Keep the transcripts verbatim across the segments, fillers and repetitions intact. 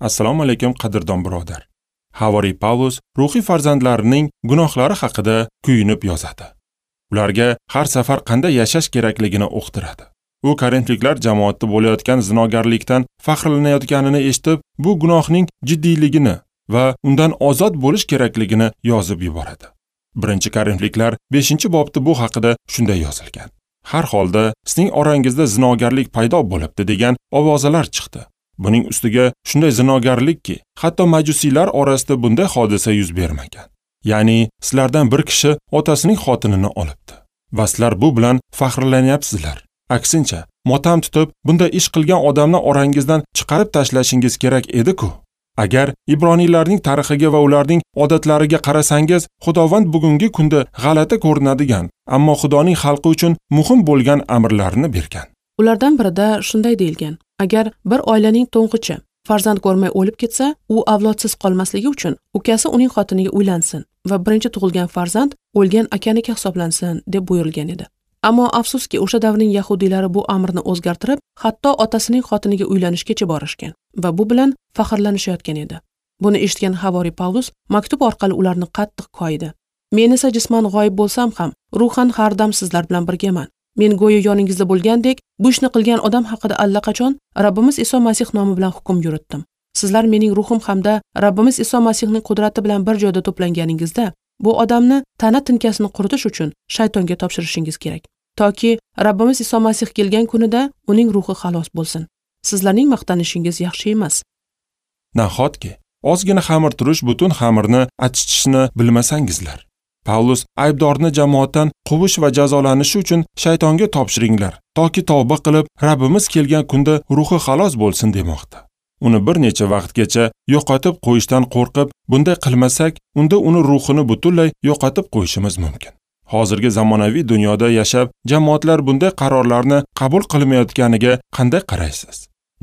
Assalomu alaykum qadrdon birodar. Havoriy Pavlus ruhiy farzandlarining gunohlari haqida kuyinib yozadi. Ularga har safar qanday yashash kerakligini uqtiradi. U Korinfliklar jamoatida bo'layotgan zinogarlikdan faxrlanayotganini eshitib, bu gunohning jiddiyligini va undan ozod bo'lish kerakligini yozib yuboradi. Birinchi Korinfliklar beshinchi bobda bu haqida shunday yozilgan. Har holda sizning orangizda zinogarlik paydo bo'libdi degan ovozalar chiqdi. Buning ustiga shunday zinogarlikki, hatto majusiylar orasida bunday hodisa yuz bermagan. Ya'ni sizlardan bir kishi otasining xotinini olibdi va sizlar bu bilan faxrlanyapsizlar. Aksincha, motam tutib, bunday ish qilgan odamni orangizdan chiqarib tashlashingiz kerak edi-ku. Agar ibroniylarning tarixiga va ularning odatlariga qarasangiz, Xudovand bugungi kunda g'alati ko'rinadigan, ammo Xudoning xalqi uchun muhim bo'lgan amrlarni bergan. Ulardan birida shunday deyilgan: agar bir oilaning to'ng'ichi farzand ko'rmay o'lib ketsa, u avlodsiz qolmasligi uchun ukasi uning xotiniga uylansin va birinchi tug'ilgan farzand o'lgan akaniki hisoblansin deb buyurilgan edi. Ammo afsuski, o'sha davrning yahudiylari bu amrni o'zgartirib, hatto otasining xotiniga uylanishgacha borishgan va bu bilan faxrlanishayotgan edi. Buni eshitgan havoriy Pavlus maktub orqali ularni qattiq koyidi. Men esa jisman g'oyib bo'lsam ham, ruhan har dam sizlar bilan birgaman. Men go'yo yoningizda bo'lgandek, bu ishni qilgan odam haqida allaqachon Rabbimiz Iso Masih nomi bilan hukm yuritdim. Sizlar mening ruhim hamda Rabbimiz Iso Masihning qudrati bilan bir joyda to'planganingizda, bu odamni tana tinkasini quritish uchun shaytonga topshirishingiz kerak, toki Rabbimiz Iso Masih kelgan kunida uning ruhi xalos bo'lsin. Sizlarning maqtanishingiz yaxshi emas. Nahotki ozgina xamir turish butun xamirni achitishni bilmasangizlar. Pavlus aybdorni jamoatdan quvish va jazolanishi uchun shaytonga topshiringlar, toki tavba qilib Rabbimiz kelgan kunda ruhi xalos bo'lsin demoqda. Uni bir necha vaqtgacha yo'qotib qo'yishdan qo'rqib, bunday qilmasak, unda uni ruhini butunlay yo'qotib qo'yishimiz mumkin. Hozirgi zamonaviy dunyoda yashab, jamoatlar bunday qarorlarni qabul qilmayotganiga qanday qaraysiz?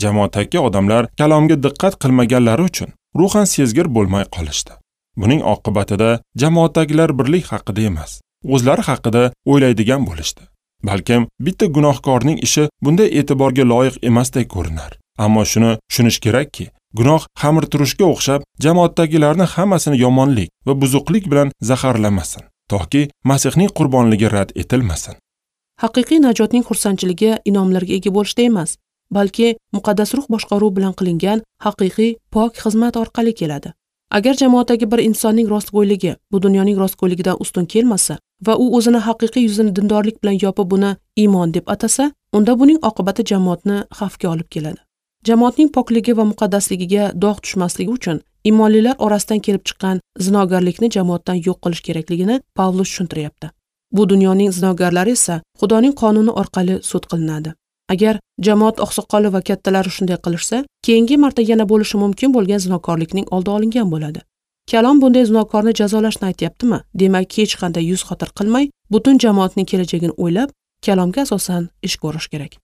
Jamoatdagi odamlar kalomga diqqat qilmaganlari uchun ruhan sezgir bo'lmay qolishdi. Buning oqibatida jamoatdagilar birlik haqida emas, o'zlari haqida o'ylaydigan bo'lishdi. Balkim bitta gunohkorning ishi bunday e'tiborga loyiq emasdek ko'rinar. Ammo shuni tushunish kerakki, gunoh xamir turishga o'xshab jamoatdagilarni hammasini yomonlik va buzuqlik bilan zaharlamasin, toki Masihning qurbonligi rad etilmasin. Haqiqiy najotning xursandchiligi inomlarga ega bo'lishda emas, balki muqaddas ruh boshqaruvi bilan qilingan haqiqiy pok xizmat orqali keladi. Agar jamoatdagi bir insonning rostgo'yligi bu dunyoning rostgo'yligidan ustun kelmasa va u o'zini haqiqiy yuzini dindorlik bilan yopib buni iymon deb atasa, unda buning oqibati jamoatni xavfga olib keladi. Jamoatning pokligi va muqaddasligiga dog' tushmasligi uchun iymonlilar orasidan kelib chiqqan zinogarlikni jamoatdan yo'q qilish kerakligini Pavlus tushuntiryapti. Bu dunyoning zinogarlari esa Xudoning qonuni orqali sud qilinadi. Agar jamoat oqsoqoli va kattalari shunday qilishsa, keyingi marta yana bo'lishi mumkin bo'lgan zinokorlikning oldi olingan bo'ladi. Kalom bunday zinokorni jazolashni aytyaptimi? Demak, hech qanday yuz xotir qilmay, butun jamoatning kelajagini o'ylab, kalomga asosan ish ko'rish kerak.